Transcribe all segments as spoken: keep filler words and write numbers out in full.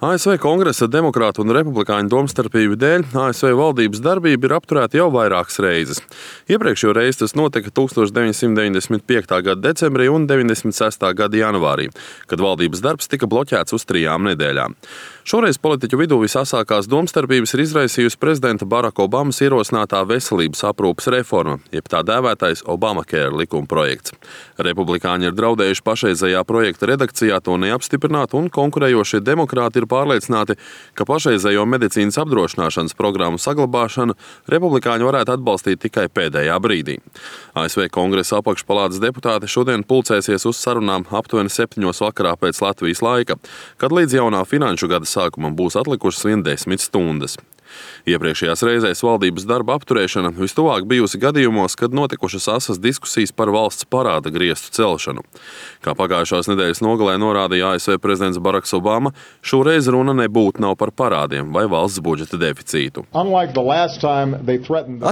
A S V Kongresa demokrātu un republikāņu domstarpību dēļ A S V valdības darbība ir apturēta jau vairākas reizes. Iepriekšējo reizi tas notika tusenš deviņsimt deviņdesmit piektā gada decembrī un deviņdesmit sestā gada janvārī, kad valdības darbs tika bloķēts uz trijām nedēļām. Šoreiz politiķu vidū visasākās domstarpības ir izraisījusi prezidenta Baraka Obamas ierosinātā veselības aprūpes reforma, jeb tā dēvētais Obamacare likuma projekts. Republikāņi ir draudējuši pašreizējā projekta redakcijā to neapstiprināt, un konkurējošie demokrāti ir pārliecināti, ka pašreizējo medicīnas apdrošināšanas programmu saglabāšanu republikāņi varētu atbalstīt tikai pēdējā brīdī. A S V Kongresa apakšpalātas deputāti šodien pulcēsies uz sarunām aptuveni septiņos vakarā pēc Latvijas laika, kad līdz jaunā finanšu gada sākumam būs atlikušas vien desmit stundas. Iepriekšējās reizēs valdības darba apturēšana vistuvāk bijusi gadījumos, kad notikušas asas diskusijas par valsts parāda griestu celšanu. Kā pagājušās nedēļas nogalē norādīja A S V prezidents Baraks Obama, šoreiz runa nebūtu nav par parādiem vai valsts budžeta deficītu.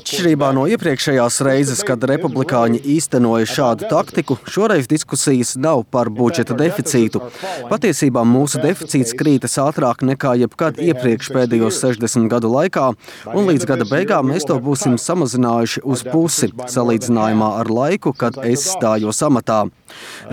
Atšķirībā no iepriekšējās reizes, kad republikāņi īstenoja šādu taktiku, šoreiz diskusijas nav par budžeta deficītu. Patiesībā mūsu deficīts krītas ātrāk nekā jebkad iepriekš pēdējos sešdesmit gadu laikā, un līdz gada beigām mēs to būsim samazinājuši uz pusi, salīdzinājumā ar laiku, kad es stājos amatā.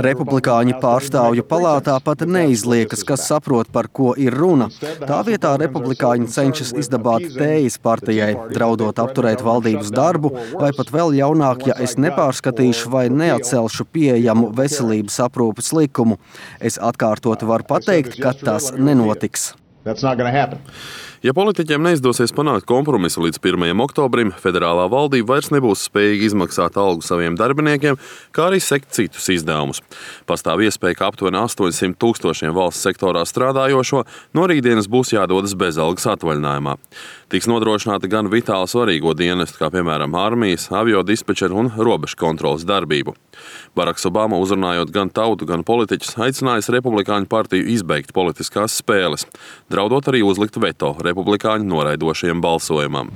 Republikāņu pārstāvju palātā pat neizliekas, kas saprot, par ko ir runa. Tā vietā republikāņi cenšas izdabāt tējas partijai, draudot apturēt valdības darbu, vai pat vēl jaunāk, ja es nepārskatīšu vai neatcelšu pieejamu veselības aprūpes likumu. Es atkārtoti varu pateikt, ka tas nenotiks. Ja politiķiem neizdosies panākt kompromisu līdz pirmajam oktobrim, federālā valdība vairs nebūs spējīga izmaksāt algu saviem darbiniekiem, kā arī sekt citus izdevumus. Pastāv iespēja, ka aptuveni astoņsimt tūkstošiem valsts sektorā strādājošo no rītdienas būs jādodas bezalgas atvaļinājumā. Tiks nodrošināta gan vitāli svarīgo dienestu, kā piemēram armijas, avio dispečeru un robežu kontrolas darbību. Baraks Obama, uzrunājot gan tautu, gan politiķus, aicinājis republikāņu partiju izbeigt politiskās spēles, draudot arī uzlikt veto republikāņu noraidošajam balsojumam.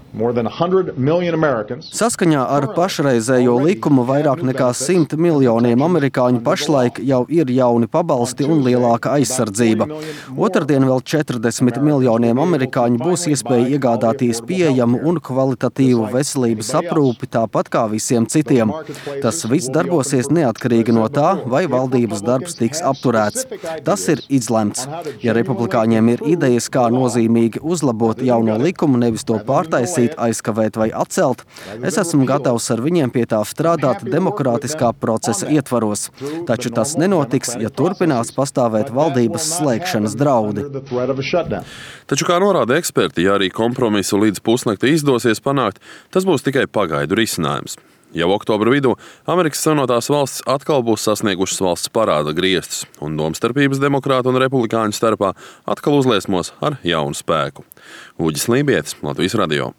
Saskaņā ar pašreizējo likumu vairāk nekā simt miljoniem amerikāņu pašlaik jau ir jauni pabalsti un lielāka aizsardzība. Otrdien vēl četrdesmit miljoniem amerikāņu būs iespēja iegādāties pieejamu un kvalitatīvu veselības aprūpi tāpat kā visiem citiem. Tas viss darbosies neatkarīgi no tā, vai valdības darbs tiks apturēts. Tas ir izlemts. Ja republikāņiem ir idejas, kā nozīmīgi uzlabot jauno likumu, nevis to pārtaisīt, aizkavēt vai atcelt, es esmu gatavs ar viņiem pie tā strādāt demokrātiskā procesa ietvaros. Taču tas nenotiks, ja turpinās pastāvēt valdības slēgšanas draudi. Taču, kā norāda eksperti, ja arī kompromisu līdz pusnakti izdosies panākt, tas būs tikai pagaidu risinājums. Jau oktobra vidū Amerikas Savienotās valstis atkal būs sasniegušas valsts parāda griestus, un domstarpības demokrātu un republikāņu starpā atkal uzliesmos ar jaunu spēku. Uģis Lībietis, Latvijas radio.